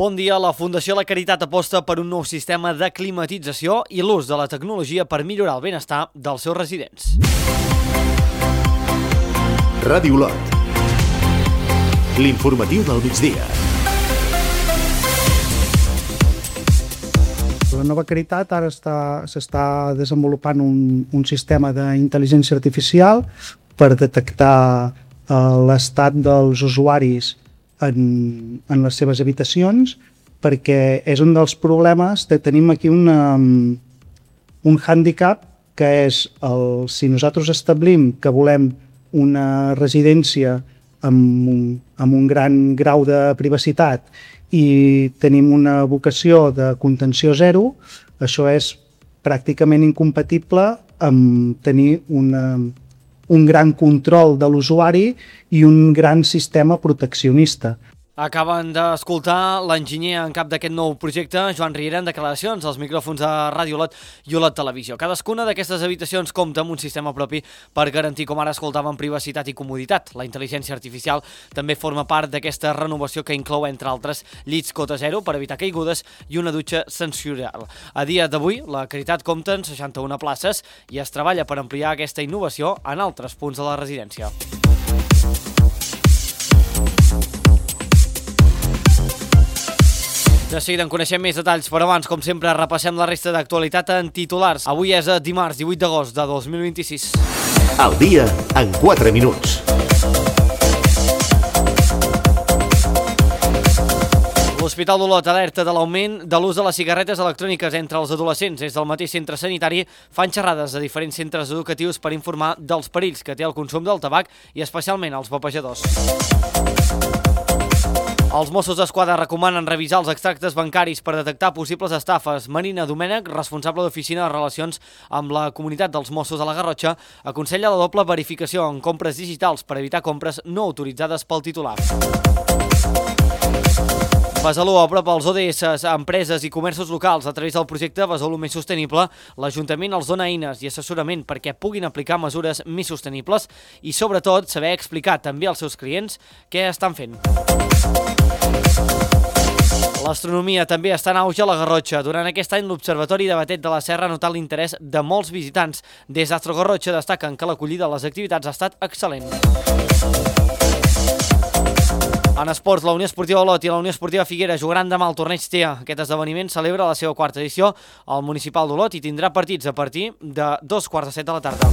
Bon dia. La Fundació La Caritat aposta per un nou sistema de climatització i l'ús de la tecnologia per millorar el benestar dels seus residents. Ràdio Olot. L'informatiu del migdia. La nova Caritat ara s'està desenvolupant un sistema d'intel·ligència artificial per detectar l'estat dels usuaris en les seves habitacions, perquè és un dels problemes que tenim aquí un hàndicap, que és si nosaltres establim que volem una residència amb un gran grau de privacitat i tenim una vocació de contenció zero, això és pràcticament incompatible amb tenir un gran control de l'usuari i un gran sistema proteccionista. Acaben d'escoltar l'enginyer en cap d'aquest nou projecte, Joan Riera, en declaracions als micròfons de Ràdio Olot i Olot Televisió. Cadascuna d'aquestes habitacions compta amb un sistema propi per garantir, com ara escoltàvem, privacitat i comoditat. La intel·ligència artificial també forma part d'aquesta renovació que inclou, entre altres, llits cota zero per evitar caigudes i una dutxa sensorial. A dia d'avui, la Caritat compta en 61 places i es treballa per ampliar aquesta innovació en altres punts de la residència. De seguida en coneixem més detalls, però abans, com sempre, repassem la resta d'actualitat en titulars. Avui és dimarts 18 d'agost de 2026. El dia en 4 minuts. L'Hospital d'Olot alerta de l'augment de l'ús de les cigarretes electròniques entre els adolescents. Des del mateix centre sanitari fan xerrades a diferents centres educatius per informar dels perills que té el consum del tabac i especialment als vapejadors. Els Mossos d'Esquadra recomanen revisar els extractes bancaris per detectar possibles estafes. Marina Domènech, responsable d'Oficina de Relacions amb la Comunitat dels Mossos de la Garrotxa, aconsella la doble verificació en compres digitals per evitar compres no autoritzades pel titular. Besalú apropa els ODS a empreses i comerços locals. A través del projecte Besalú Més Sostenible, l'Ajuntament els dona eines i assessorament perquè puguin aplicar mesures més sostenibles i, sobretot, saber explicar també als seus clients què estan fent. L'astronomia també està en auge a la Garrotxa. Durant aquest any, l'Observatori de Batet de la Serra ha notat l'interès de molts visitants. Des d'Astro Garrotxa destaquen que l'acollida a les activitats ha estat excel·lent. En esports, la Unió Esportiva Olot i la Unió Esportiva Figueres jugaran demà al torneig TEA. Aquest esdeveniment celebra la seva quarta edició al Municipal d'Olot i tindrà partits a partir de 2:45 de la tarda.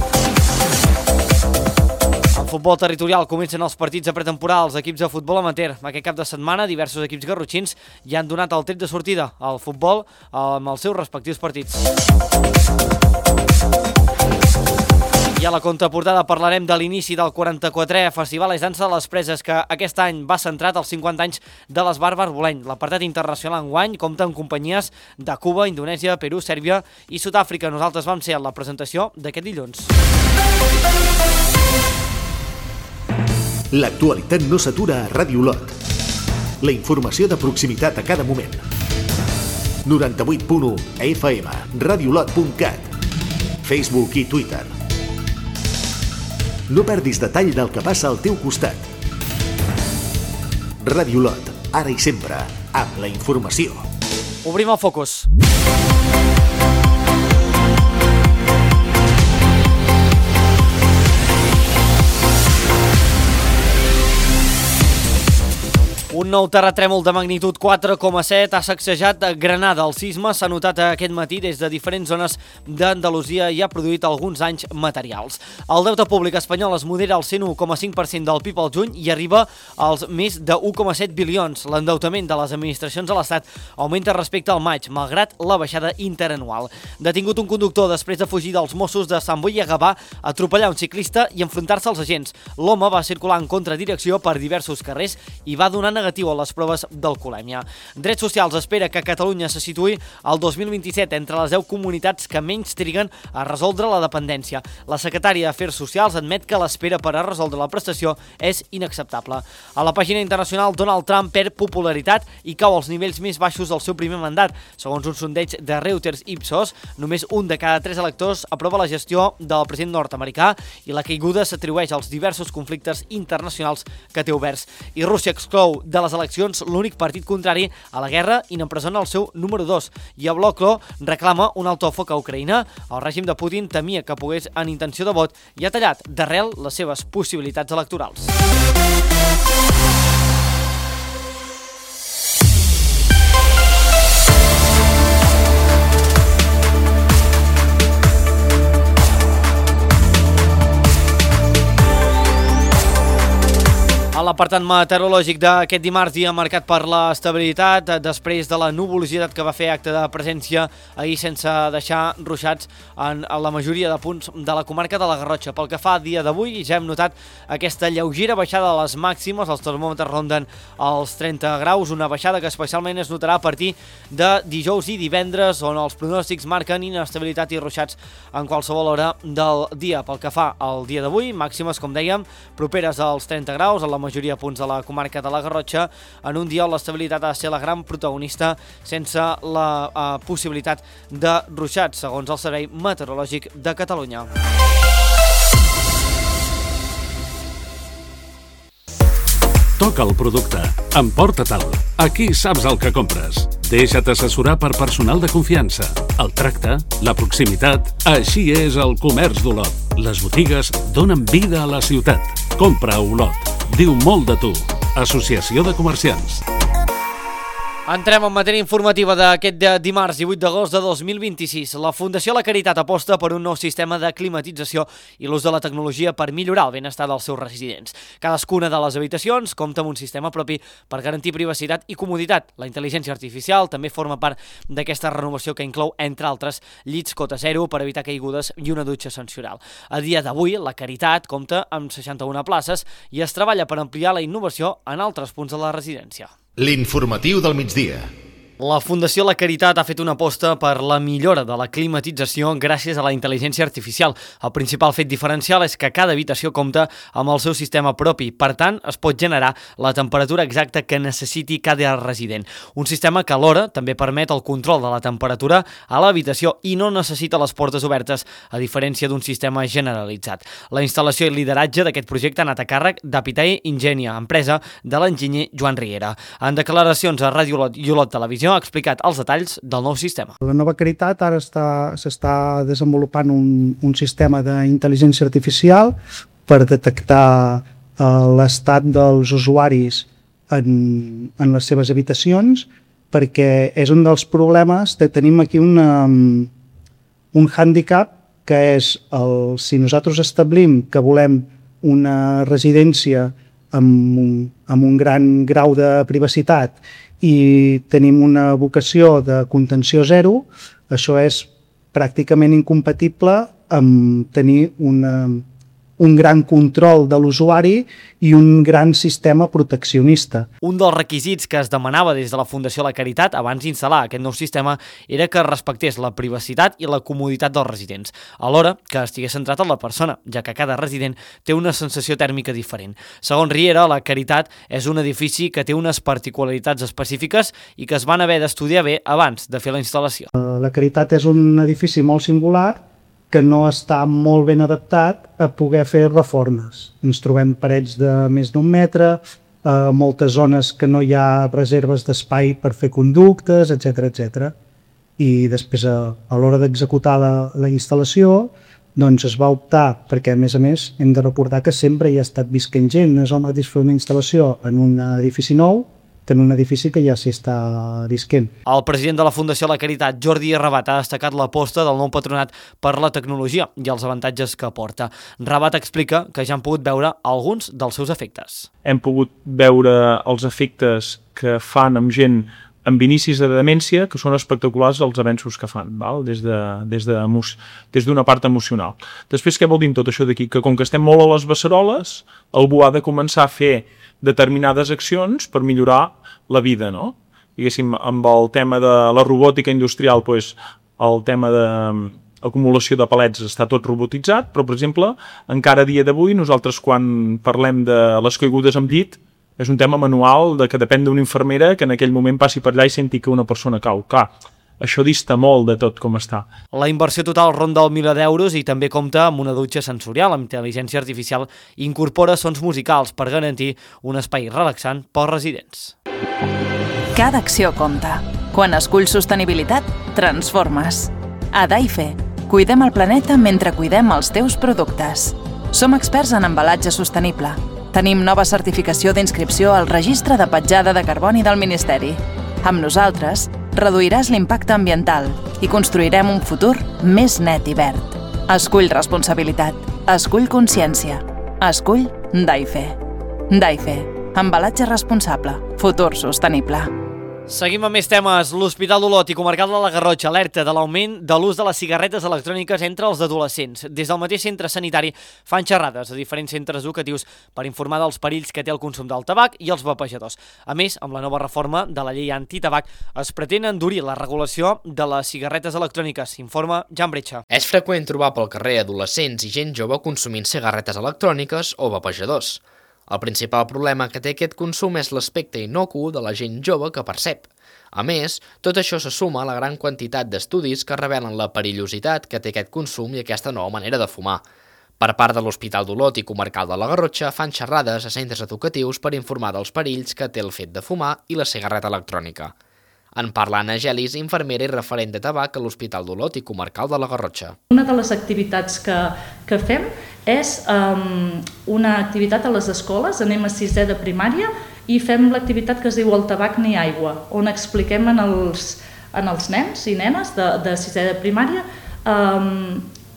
En futbol territorial comencen els partits de pretemporada als equips de futbol amateur. Aquest cap de setmana, diversos equips garrotxins ja han donat el tret de sortida al futbol amb els seus respectius partits. I a la contraportada parlarem de l'inici del 44è Festival És Dansa de les Preses, que aquest any va centrat als 50 anys de l'Esbart Barboleny. L'apartat internacional enguany compta amb companyies de Cuba, Indonèsia, Perú, Sèrbia i Sud-àfrica. Nosaltres vam ser a la presentació d'aquest dilluns. L'actualitat no s'atura a Ràdio Olot. La informació de proximitat a cada moment. 98.1 FM, radioolot.cat, Facebook i Twitter. No perdis detall del que passa al teu costat. Ràdio Olot, ara i sempre, amb la informació. Obrim el focus. Un nou terratrèmol de magnitud 4,7 ha sacsejat Granada. El sisme s'ha notat aquest matí des de diferents zones d'Andalusia i ha produït alguns danys materials. El deute públic espanyol es modera al 101,5% del PIB al juny i arriba als més de 1,7 bilions. L'endeutament de les administracions de l'Estat augmenta respecte al maig, malgrat la baixada interanual. Detingut un conductor després de fugir dels Mossos de Sant Boi i Gavà, atropellar un ciclista i enfrontar-se als agents. L'home va circular en contradirecció per diversos carrers i va donar negatiu a les proves d'alcoholèmia. Drets Socials espera que Catalunya se situï al 2027 entre les 10 comunitats que menys triguen a resoldre la dependència. La secretària d'Afers Socials admet que l'espera per a resoldre la prestació és inacceptable. A la pàgina internacional, Donald Trump perd popularitat i cau als nivells més baixos del seu primer mandat. Segons un sondeig de Reuters Ipsos, només un de cada 3 electors aprova la gestió del president nord-americà i la caiguda s'atribueix als diversos conflictes internacionals que té oberts. I Rússia exclou de les eleccions l'únic partit contrari a la guerra i n'empresona el seu número 2. I a Bloklo reclama un alto foc a Ucraïna. El règim de Putin temia que pogués en intenció de vot i ha tallat d'arrel les seves possibilitats electorals. A l'apartat meteorològic d'aquest dimarts, dia marcat per l'estabilitat, després de la nuvolositat que va fer acte de presència ahir sense deixar ruixats en la majoria de punts de la comarca de la Garrotxa. Pel que fa a dia d'avui, ja hem notat aquesta lleugera baixada de les màximes, els termòmetres ronden els 30 graus, una baixada que especialment es notarà a partir de dijous i divendres, on els pronòstics marquen inestabilitat i ruixats en qualsevol hora del dia. Pel que fa al dia d'avui, màximes, com dèiem, properes als 30 graus, en la majoria de punts de la comarca de la Garrotxa, en un dia on l'estabilitat ha de ser la gran protagonista sense la possibilitat de ruixats, segons el Servei Meteorològic de Catalunya. Toca el producte. Emporta-te'l. Aquí saps el que compres. Deixa't assessorar per personal de confiança. El tracte, la proximitat... Així és el comerç d'Olot. Les botigues donen vida a la ciutat. Compra a Olot. Diu molt de tu. Associació de Comerciants. Entrem en matèria informativa d'aquest dimarts 18 d'agost de 2026. La Fundació La Caritat aposta per un nou sistema de climatització i l'ús de la tecnologia per millorar el benestar dels seus residents. Cadascuna de les habitacions compta amb un sistema propi per garantir privacitat i comoditat. La intel·ligència artificial també forma part d'aquesta renovació que inclou, entre altres, llits cota zero per evitar caigudes i una dutxa sensorial. A dia d'avui, La Caritat compta amb 61 places i es treballa per ampliar la innovació en altres punts de la residència. L'informatiu del migdia. La Fundació La Caritat ha fet una aposta per la millora de la climatització gràcies a la intel·ligència artificial. El principal fet diferencial és que cada habitació compta amb el seu sistema propi. Per tant, es pot generar la temperatura exacta que necessiti cada resident. Un sistema que alhora també permet el control de la temperatura a l'habitació i no necessita les portes obertes, a diferència d'un sistema generalitzat. La instal·lació i lideratge d'aquest projecte ha anat a càrrec d'Apitae Ingenia, empresa de l'enginyer Joan Riera. En declaracions a Ràdio Olot i Olot Televisió ha explicat els detalls del nou sistema. La nova Caritat ara s'està desenvolupant un sistema d'intel·ligència artificial per detectar l'estat dels usuaris en les seves habitacions, perquè és un dels problemes que tenim aquí un hàndicap, que és si nosaltres establim que volem una residència amb un gran grau de privacitat i tenim una vocació de contenció zero, això és pràcticament incompatible amb tenir un gran control de l'usuari i un gran sistema proteccionista. Un dels requisits que es demanava des de la Fundació La Caritat abans d'instal·lar aquest nou sistema era que respectés la privacitat i la comoditat dels residents, alhora que estigués centrat en la persona, ja que cada resident té una sensació tèrmica diferent. Segons Riera, La Caritat és un edifici que té unes particularitats específiques i que es van haver d'estudiar bé abans de fer la instal·lació. La Caritat és un edifici molt singular que no està molt ben adaptat a poder fer reformes. Ens trobem parets de més d'1 metre, moltes zones que no hi ha reserves d'espai per fer conductes, etc. I després, a l'hora d'executar la instal·lació, doncs es va optar, perquè a més hem de recordar que sempre hi ha estat visquent gent, no és el mateix fer una instal·lació en un edifici nou que en un edifici que ja s'hi està visquent. El president de la Fundació La Caritat, Jordi Rabat, ha destacat l'aposta del nou patronat per la tecnologia i els avantatges que aporta. Rabat explica que ja han pogut veure alguns dels seus efectes. Hem pogut veure els efectes que fan amb gent amb inicis de demència, que són espectaculars els avenços que fan, val? Des d'una part emocional. Després, què vol dir tot això d'aquí? Que com que estem molt a les beceroles, algú ha de començar a fer determinades accions per millorar la vida, no? Diguéssim, amb el tema de la robòtica industrial, doncs, el tema d'acumulació de palets està tot robotitzat, però, per exemple, encara a dia d'avui, nosaltres quan parlem de les caigudes amb llit, és un tema manual que depèn d'una infermera que en aquell moment passi per allà i senti que una persona cau. Clar, això dista molt de tot com està. La inversió total ronda el 1.000 d'euros i també compta amb una dutxa sensorial amb intel·ligència artificial i incorpora sons musicals per garantir un espai relaxant pels residents. Cada acció compta. Quan esculls sostenibilitat, transformes. A Daife, cuidem el planeta mentre cuidem els teus productes. Som experts en embalatge sostenible. Tenim nova certificació d'inscripció al Registre de Petjada de Carboni del Ministeri. Amb nosaltres, reduiràs l'impacte ambiental i construirem un futur més net i verd. Escull responsabilitat. Escull consciència. Escull Daife. Daife. Embalatge responsable. Futur sostenible. Seguim amb més temes. L'Hospital d'Olot i Comarcal de la Garrotxa alerta de l'augment de l'ús de les cigarretes electròniques entre els adolescents. Des del mateix centre sanitari fan xerrades a diferents centres educatius per informar dels perills que té el consum del tabac i els vapejadors. A més, amb la nova reforma de la llei antitabac es pretén endurir la regulació de les cigarretes electròniques, informa Jan Bretxa. És freqüent trobar pel carrer adolescents i gent jove consumint cigarretes electròniques o vapejadors. El principal problema que té aquest consum és l'aspecte innocu de la gent jove que percep. A més, tot això se suma a la gran quantitat d'estudis que revelen la perillositat que té aquest consum i aquesta nova manera de fumar. Per part de l'Hospital d'Olot i Comarcal de la Garrotxa fan xerrades a centres educatius per informar dels perills que té el fet de fumar i la cigarreta electrònica. En parla Anna Gelis, infermera i referent de tabac a l'Hospital d'Olot i Comarcal de la Garrotxa. Una de les activitats que fem és una activitat a les escoles, anem a 6è de primària i fem l'activitat que es diu El tabac ni aigua, on expliquem en els nens i nenes de 6è de primària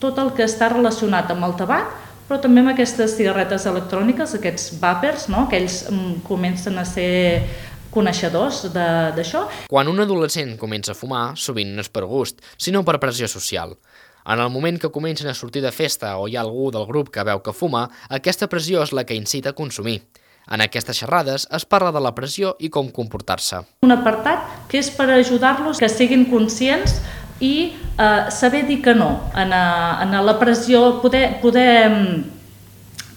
tot el que està relacionat amb el tabac, però també amb aquestes cigarretes electròniques, aquests vapers, no? Que ells comencen a ser coneixedors d'això. Quan un adolescent comença a fumar, sovint no és per gust, sinó per pressió social. En el moment que comencen a sortir de festa o hi ha algú del grup que veu que fuma, aquesta pressió és la que incita a consumir. En aquestes xerrades es parla de la pressió i com comportar-se. Un apartat que és per ajudar-los que siguin conscients i saber dir que no. En la pressió,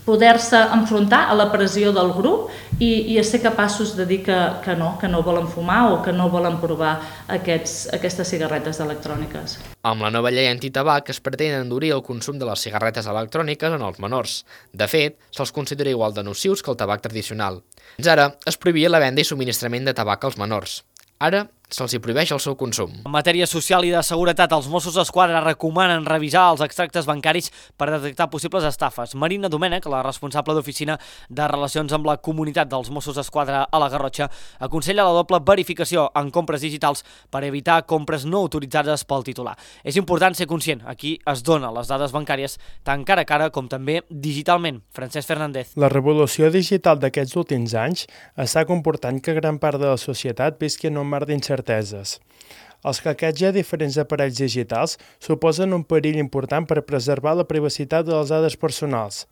poder-se enfrontar a la pressió del grup i ser capaços de dir que no volen fumar o que no volen provar aquestes cigarretes electròniques. Amb la nova llei antitabac es pretén endurir el consum de les cigarretes electròniques en els menors. De fet, se'ls considera igual de nocius que el tabac tradicional. Fins ara es prohibia la venda i subministrament de tabac als menors. Ara se'ls hi prohibeix el seu consum. En matèria social i de seguretat, els Mossos d'Esquadra recomanen revisar els extractes bancaris per detectar possibles estafes. Marina Domènech, la responsable d'Oficina de Relacions amb la Comunitat dels Mossos d'Esquadra a la Garrotxa, aconsella la doble verificació en compres digitals per evitar compres no autoritzades pel titular. És important ser conscient. Aquí es donen les dades bancàries tant cara a cara com també digitalment. Francesc Fernández. La revolució digital d'aquests últims anys està comportant que gran part de la societat visqui en un mar d'incerteses. Els hackeig a diferents aparells digitals suposen un perill important per preservar la privacitat de les dades personals.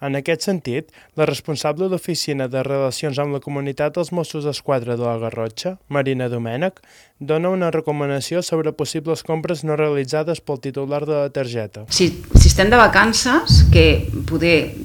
En aquest sentit, la responsable d'Oficina de Relacions amb la Comunitat dels Mossos d'Esquadra de la Garrotxa, Marina Domènech, dona una recomanació sobre possibles compres no realitzades pel titular de la targeta. Si estem de vacances, que poder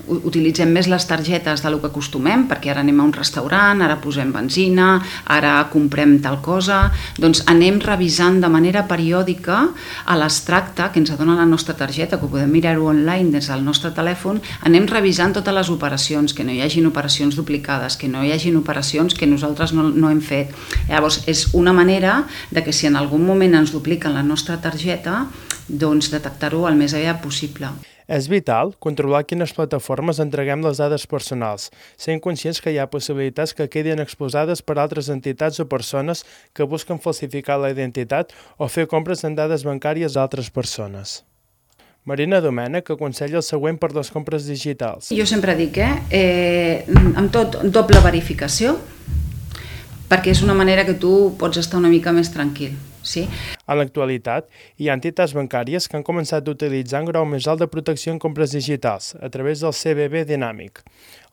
utilitzem més les targetes del que acostumem, perquè ara anem a un restaurant, ara posem benzina, ara comprem tal cosa, doncs anem revisant de manera periòdica a l'extracte que ens dona la nostra targeta, que podem mirar-ho online des del nostre telèfon, anem revisant totes les operacions, que no hi hagin operacions duplicades, que no hi hagin operacions que nosaltres no hem fet. Llavors, és una manera de que si en algun moment ens dupliquen la nostra targeta, doncs detectar-ho el més aviat possible. És vital controlar quines plataformes entreguem les dades personals, sent conscients que hi ha possibilitats que quedin exposades per altres entitats o persones que busquen falsificar la identitat o fer compres en dades bancàries d'altres persones. Marina Domènech aconsella el següent per les compres digitals. Jo sempre dic, amb tot doble verificació, perquè és una manera que tu pots estar una mica més tranquil. Sí. En l'actualitat, hi ha entitats bancàries que han començat a utilitzar un grau més alt de protecció en compres digitals a través del CBB dinàmic.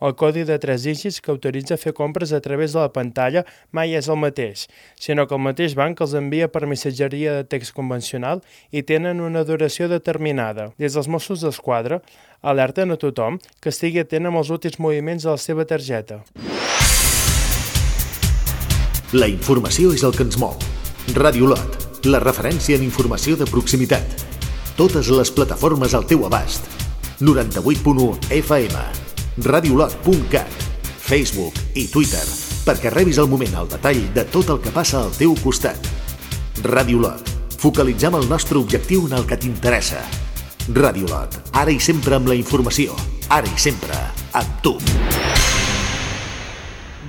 El codi de 3 dígits que autoritza fer compres a través de la pantalla mai és el mateix, sinó que el mateix banc els envia per missatgeria de text convencional i tenen una duració determinada. Des dels Mossos d'Esquadra alerten a tothom que estigui atent amb els últims moviments de la seva targeta. La informació és el que ens mou. Ràdio Lot, la referència en informació de proximitat. Totes les plataformes al teu abast. 98.1 FM, radiolot.cat, Facebook i Twitter, perquè rebis al moment el detall de tot el que passa al teu costat. Ràdio Lot, focalitzem el nostre objectiu en el que t'interessa. Ràdio Lot, ara i sempre amb la informació, ara i sempre amb tu.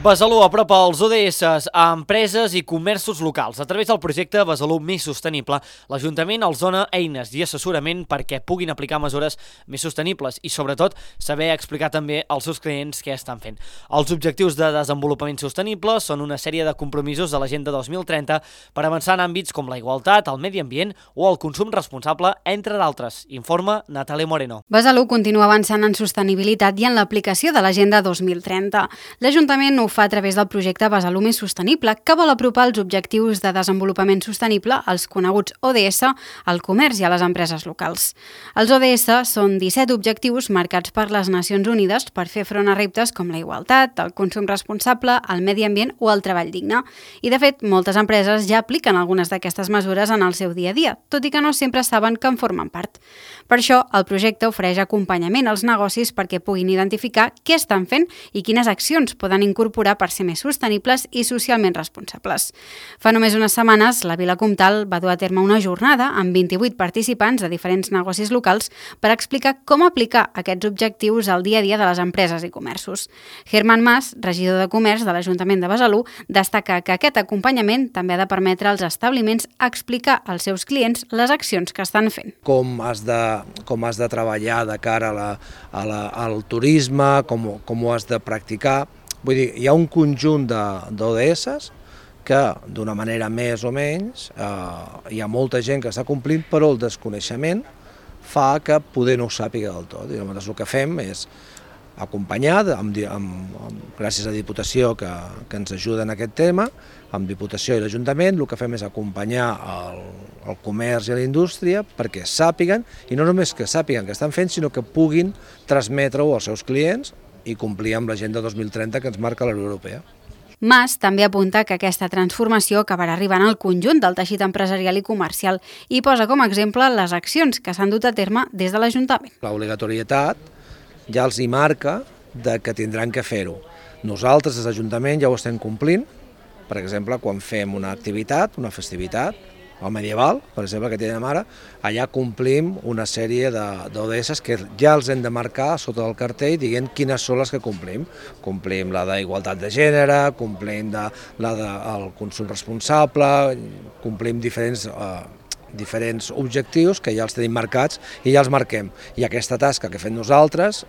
Besalú apropa els ODS a empreses i comerços locals. A través del projecte Besalú Més Sostenible, l'Ajuntament els dona eines i assessorament perquè puguin aplicar mesures més sostenibles i, sobretot, saber explicar també als seus clients què estan fent. Els objectius de desenvolupament sostenible són una sèrie de compromisos de l'Agenda 2030 per avançar en àmbits com la igualtat, el medi ambient o el consum responsable, entre d'altres. Informa Natàlia Moreno. Besalú continua avançant en sostenibilitat i en l'aplicació de l'Agenda 2030. L'Ajuntament ho fa a través del projecte Besalú Més Sostenible, que vol apropar els objectius de desenvolupament sostenible, els coneguts ODS, al comerç i a les empreses locals. Els ODS són 17 objectius marcats per les Nacions Unides per fer front a reptes com la igualtat, el consum responsable, el medi ambient o el treball digne. I, de fet, moltes empreses ja apliquen algunes d'aquestes mesures en el seu dia a dia, tot i que no sempre saben que en formen part. Per això, el projecte ofereix acompanyament als negocis perquè puguin identificar què estan fent i quines accions poden incorporar per ser més sostenibles i socialment responsables. Fa només unes setmanes, la Vila Comtal va dur a terme una jornada amb 28 participants de diferents negocis locals per explicar com aplicar aquests objectius al dia a dia de les empreses i comerços. Germán Mas, regidor de Comerç de l'Ajuntament de Besalú, destaca que aquest acompanyament també ha de permetre als establiments explicar als seus clients les accions que estan fent. Com has de treballar de cara al turisme, com ho has de practicar. Vull dir, hi ha un conjunt d'ODS que, d'una manera més o menys, hi ha molta gent que està complint, però el desconeixement fa que poder no ho sàpiga del tot. I llavors el que fem és acompanyar, gràcies a Diputació que ens ajuda en aquest tema, amb Diputació i l'Ajuntament, el que fem és acompanyar el comerç i la indústria perquè sàpiguen, i no només que sàpiguen què estan fent, sinó que puguin transmetre-ho als seus clients i complir amb l'Agenda 2030 que ens marca la Unió Europea. Mas també apunta que aquesta transformació acabarà arribant al conjunt del teixit empresarial i comercial i posa com a exemple les accions que s'han dut a terme des de l'Ajuntament. L'obligatorietat ja els hi marca que tindran que fer-ho. Nosaltres, des de l'Ajuntament, ja ho estem complint. Per exemple, quan fem una activitat, una festivitat, el medieval, per exemple, que tenim ara, allà complim una sèrie d'ODS que ja els hem de marcar sota el cartell dient quines són les que complim. Complim la d'igualtat de gènere, complim la del consum responsable, complim diferents objectius que ja els tenim marcats i ja els marquem. I aquesta tasca que fem nosaltres,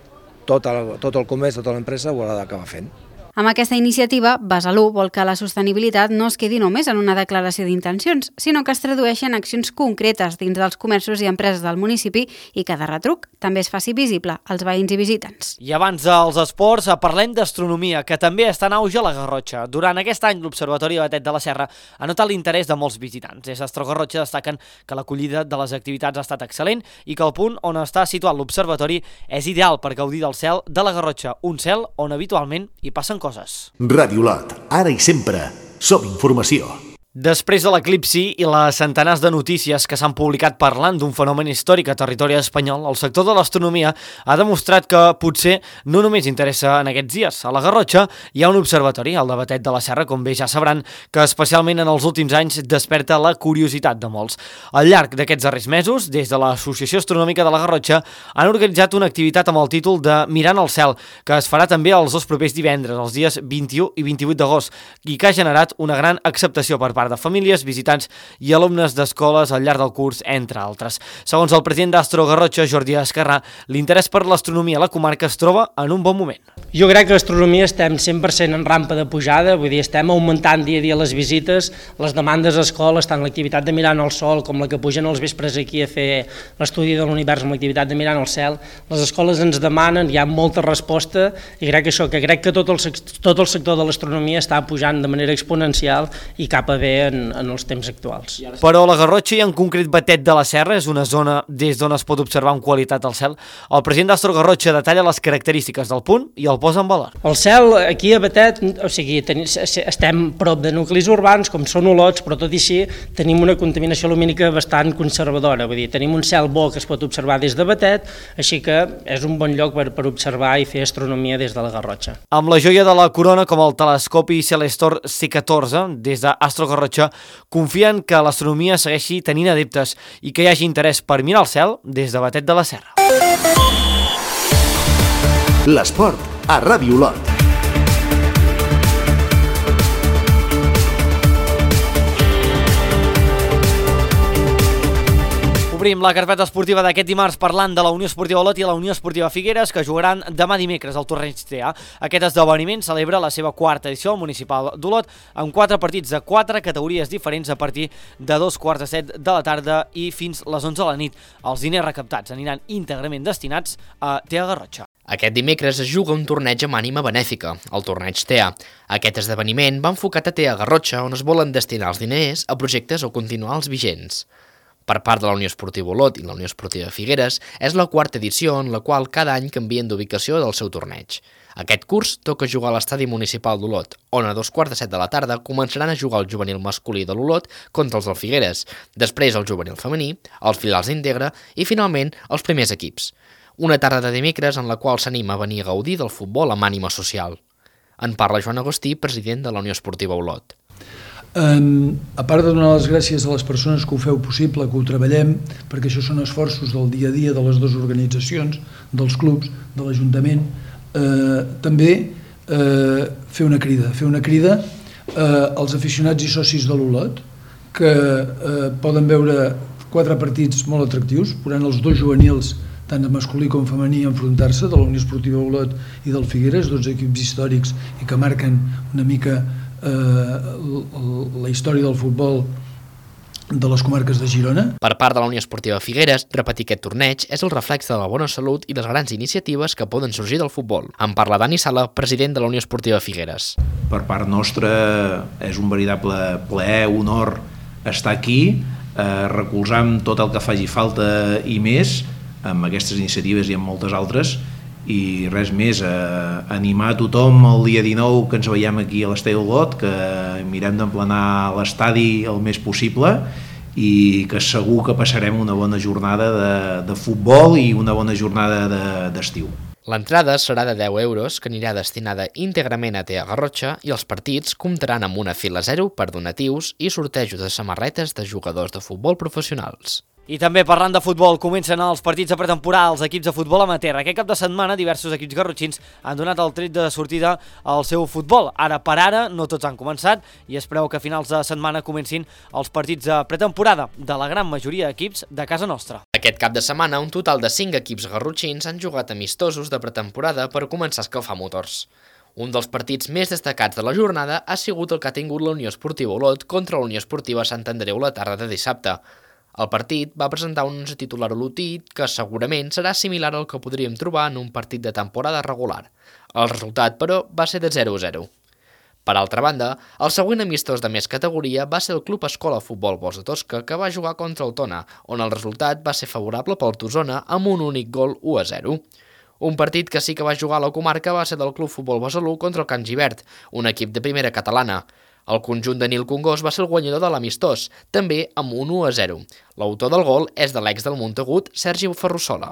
tot el comerç, tota l'empresa ho haurà d'acabar fent. Amb aquesta iniciativa, Besalú vol que la sostenibilitat no es quedi només en una declaració d'intencions, sinó que es tradueixi en accions concretes dins dels comerços i empreses del municipi i que de retruc també es faci visible als veïns i visitants. I abans dels esports, parlem d'astronomia, que també està en auge a la Garrotxa. Durant aquest any, l'Observatori Batet de la Serra ha notat l'interès de molts visitants. Des d'Astrogarrotxa destaquen que l'acollida de les activitats ha estat excel·lent i que el punt on està situat l'Observatori és ideal per gaudir del cel de la Garrotxa, un cel on habitualment hi passen coses. Ràdio Lot, ara i sempre, som informació. Després de l'eclipsi i les centenars de notícies que s'han publicat parlant d'un fenomen històric a territori espanyol, el sector de l'astronomia ha demostrat que potser no només interessa en aquests dies. A la Garrotxa hi ha un observatori, el de Batet de la Serra, com bé ja sabran, que especialment en els últims anys desperta la curiositat de molts. Al llarg d'aquests darrers mesos, des de l'Associació Astronòmica de la Garrotxa, han organitzat una activitat amb el títol de Mirant el cel, que es farà també els dos propers divendres, els dies 21 i 28 d'agost, i que ha generat una gran acceptació per part de famílies, visitants i alumnes d'escoles al llarg del curs, entre altres. Segons el president d'Astrogarrotxa, Jordi Esquerrà, l'interès per l'astronomia a la comarca es troba en un bon moment. Jo crec que l'astronomia estem 100% en rampa de pujada, vull dir, estem augmentant dia a dia les visites, les demandes a escoles, tant l'activitat de Mirant el sol com la que pugen els vespres aquí a fer l'estudi de l'univers amb l'activitat de Mirant el cel. Les escoles ens demanen, hi ha molta resposta i crec que tot el sector de l'astronomia està pujant de manera exponencial i cap a bé fer en els temps actuals. Però la Garrotxa i en concret Batet de la Serra és una zona des d'on es pot observar amb qualitat el cel. El president d'Astro Garrotxa detalla les característiques del punt i el posa en valor. El cel aquí a Batet, o sigui, estem prop de nuclis urbans com són Olots, però tot i així tenim una contaminació lumínica bastant conservadora, vull dir, tenim un cel bo que es pot observar des de Batet, així que és un bon lloc per observar i fer astronomia des de la Garrotxa. Amb la joia de la corona com el telescopi Celestor C14, des d'Astro Garrotxa confien que l'astronomia segueixi tenint adeptes i que hi hagi interès per mirar el cel des de Batet de la Serra. L'esport a Ràdio Olot. Obrim la carpeta esportiva d'aquest dimarts parlant de la Unió Esportiva Olot i la Unió Esportiva Figueres, que jugaran demà dimecres al torneig TA. Aquest esdeveniment celebra la seva quarta edició al municipal d'Olot amb 4 partits de 4 categories diferents a partir de 2:45 de la tarda i fins les 11 de la nit. Els diners recaptats aniran íntegrament destinats a TA Garrotxa. Aquest dimecres es juga un torneig amb ànima benèfica, el torneig TA. Aquest esdeveniment va enfocat a TA Garrotxa, on es volen destinar els diners a projectes o continuar els vigents. Per part de la Unió Esportiva Olot i la Unió Esportiva Figueres, és la quarta edició en la qual cada any canvien d'ubicació del seu torneig. Aquest curs toca jugar a l'estadi municipal d'Olot, on a 2:45 de la tarda començaran a jugar el juvenil masculí de l'Olot contra els del Figueres, després el juvenil femení, els filials d'Integra i finalment els primers equips. Una tarda de dimecres en la qual s'anima a venir a gaudir del futbol amb ànima social. En parla Joan Agustí, president de la Unió Esportiva Olot. A part de donar les gràcies a les persones que ho feu possible, que ho treballem, perquè això són esforços del dia a dia de les dues organitzacions, dels clubs, de l'Ajuntament, també fer una crida als aficionats i socis de l'Olot, que poden veure 4 partits molt atractius, veuran els 2 juvenils, tant de masculí com femení, enfrontar-se, de la Unió Esportiva Olot i del Figueres, 2 equips històrics i que marquen una mica la història del futbol de les comarques de Girona. Per part de la Unió Esportiva Figueres, repetir aquest torneig és el reflex de la bona salut i les grans iniciatives que poden sorgir del futbol. En parla Dani Sala, president de la Unió Esportiva Figueres. Per part nostra és un veritable plaer, honor estar aquí, recolzant tot el que faci falta i més, amb aquestes iniciatives i amb moltes altres, i res més, animar a tothom el dia 19 que ens veiem aquí a l'Estadi Olot, que mirem d'emplenar l'estadi el més possible i que segur que passarem una bona jornada de futbol i una bona jornada d'estiu. L'entrada serà de 10 euros, que anirà destinada íntegrament a TA Garrotxa, i els partits comptaran amb una fila 0 per donatius i sortejos de samarretes de jugadors de futbol professionals. I també parlant de futbol, comencen els partits de pretemporada als equips de futbol amateur. Aquest cap de setmana diversos equips garrotxins han donat el tret de sortida al seu futbol. Ara per ara no tots han començat i es preveu que a finals de setmana comencin els partits de pretemporada de la gran majoria d'equips de casa nostra. Aquest cap de setmana un total de 5 equips garrotxins han jugat amistosos de pretemporada per començar a escalfar motors. Un dels partits més destacats de la jornada ha sigut el que ha tingut la Unió Esportiva Olot contra la Unió Esportiva Sant Andreu la tarda de dissabte. El partit va presentar un 11 titular olotí que segurament serà similar al que podríem trobar en un partit de temporada regular. El resultat, però, va ser de 0-0. Per altra banda, el següent amistós de més categoria va ser el Club Escola Futbol Bos de Tosca, que va jugar contra el Tona, on el resultat va ser favorable pel Tosona amb un únic gol 1-0. Un partit que sí que va jugar a la comarca va ser del Club Futbol Besalú contra el Can Givert, un equip de primera catalana. El conjunt de Nil Congost va ser el guanyador de l'amistós, també amb un 1-0. L'autor del gol és de l'ex del Montagut, Sergi Ferrusola.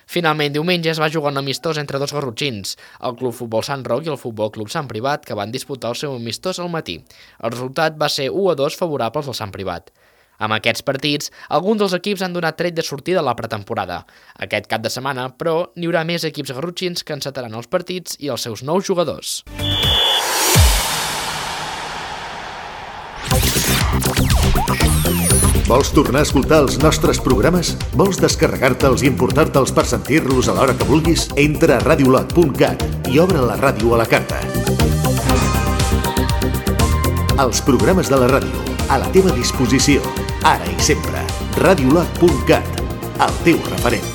Finalment, diumenge es va jugar un amistós entre dos garrotxins, el Club Futbol Sant Roc i el Futbol Club Sant Privat, que van disputar el seu amistós al matí. El resultat va ser 1-2 favorables al Sant Privat. Amb aquests partits, alguns dels equips han donat tret de sortida a la pretemporada. Aquest cap de setmana, però, n'hi haurà més equips garrotxins que encetaran els partits i els seus nous jugadors. Vols tornar a escoltar els nostres programes? Vols descarregar-te'ls i importar-te'ls per sentir-los a l'hora que vulguis? Entra a radiolot.cat i obre la ràdio a la carta. Els programes de la ràdio, a la teva disposició, ara i sempre. Radiolot.cat, el teu referent.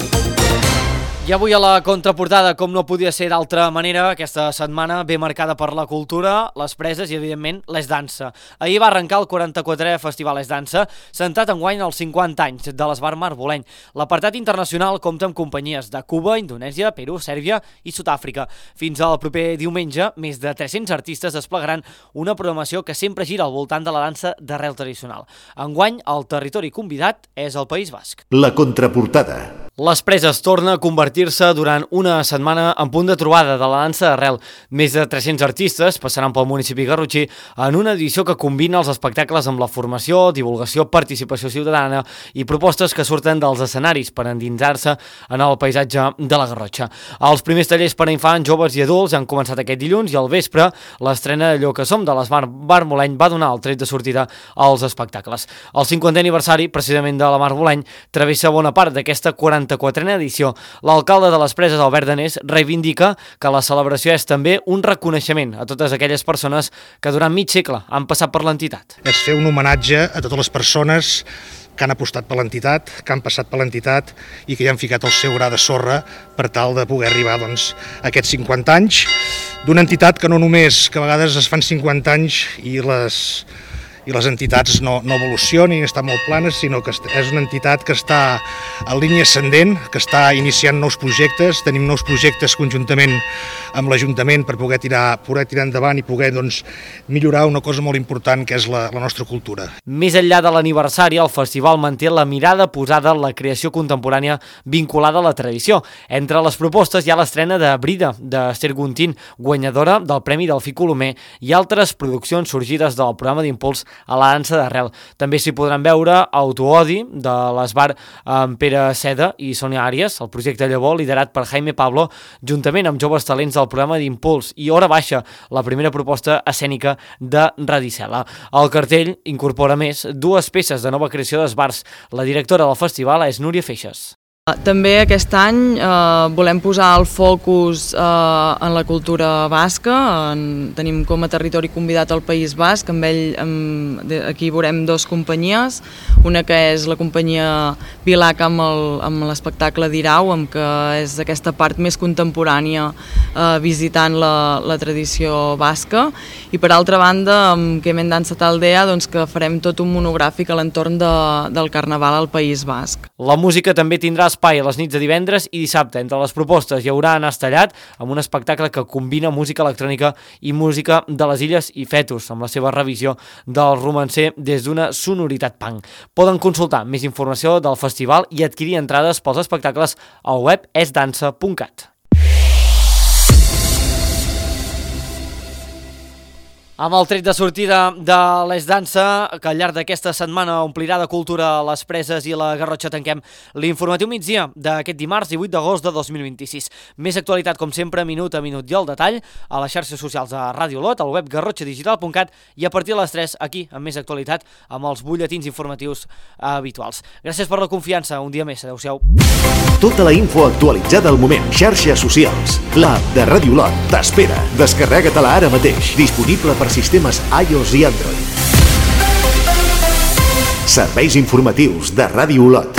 I avui a la contraportada, com no podia ser d'altra manera, aquesta setmana ve marcada per la cultura, les preses i, evidentment, l'Es Dansa. Ahir va arrencar el 44è Festival Es Dansa, centrat enguany als 50 anys de l'Esbar Marboleny. L'apartat internacional compta amb companyies de Cuba, Indonèsia, Perú, Sèrbia i Sud-àfrica. Fins al proper diumenge, més de 300 artistes desplegaran una programació que sempre gira al voltant de la dansa d'arrel tradicional. Enguany, el territori convidat és el País Basc. La contraportada. Les preses torna a convertir-se durant una setmana en punt de trobada de la dansa d'arrel. Més de 300 artistes passaran pel municipi garrotxí en una edició que combina els espectacles amb la formació, divulgació, participació ciutadana i propostes que surten dels escenaris per endinsar-se en el paisatge de la Garrotxa. Els primers tallers per a infants, joves i adults han començat aquest dilluns i al vespre l'estrena d'Allò que som de l'Esbar Marboleny va donar el tret de sortida als espectacles. El 50è aniversari, precisament de la Marboleny, travessa bona part d'aquesta 44a edició. L'alcalde de les Preses, Albert Danés, reivindica que la celebració és també un reconeixement a totes aquelles persones que durant mig segle han passat per l'entitat. És fer un homenatge a totes les persones que han apostat per l'entitat, que han passat per l'entitat i que hi han ficat el seu gra de sorra per tal de poder arribar a aquests 50 anys d'una entitat que no només que a vegades es fan 50 anys i les entitats no evolucionen i estan molt planes, sinó que és una entitat que està en línia ascendent, que està iniciant nous projectes. Tenim nous projectes conjuntament amb l'Ajuntament per poder tirar endavant i poder millorar una cosa molt important que és la nostra cultura. Més enllà de l'aniversari, el festival manté la mirada posada en la creació contemporània vinculada a la tradició. Entre les propostes hi ha l'estrena de Brida, d'Ester Guntín, guanyadora del Premi Delfí Colomer, i altres produccions sorgides del programa d'impuls a la dansa d'arrel. També s'hi podran veure Autoodi, de l'Esbar amb Pere Seda i Sònia Àries, el projecte Llavor, liderat per Jaime Pablo, juntament amb joves talents del programa d'impuls, i Hora Baixa, la primera proposta escènica de Radicela. El cartell incorpora més dues peces de nova creació d'esbars. La directora del festival és Núria Feixes. També aquest any volem posar el focus en la cultura basca. Tenim com a territori convidat el País Basc. Aquí veurem dues companyies, una que és la companyia Vilac amb l'espectacle d'Irau, que és aquesta part més contemporània visitant la tradició basca, i per altra banda amb Kemen Dansa Taldea, que farem tot un monogràfic a l'entorn del Carnaval al País Basc. La música també tindrà espai a les nits de divendres i dissabte. Entre les propostes hi haurà Nas Tallat, amb un espectacle que combina música electrònica i música de les Illes i Fetus, amb la seva revisió del romancer des d'una sonoritat punk. Poden consultar més informació del festival i adquirir entrades pels espectacles al web esdansa.cat. Amb el tret de sortida de l'Es Dansa, que al llarg d'aquesta setmana omplirà de cultura les Preses i la Garrotxa, tanquem l'informatiu migdia d'aquest dimarts 18 d'agost de 2026. Més actualitat, com sempre, minut a minut i al detall, a les xarxes socials de Ràdio Lot, al web garrotxadigital.cat i a partir de les 3 aquí, amb més actualitat, amb els butlletins informatius habituals. Gràcies per la confiança, un dia més, adeu-siau. Tota la info actualitzada al moment. Xarxes socials. L'app de Ràdio Lot t'espera. Descarrega-te-la ara mateix. Disponible per sistemes iOS i Android. Serveis informatius de Ràdio Lot.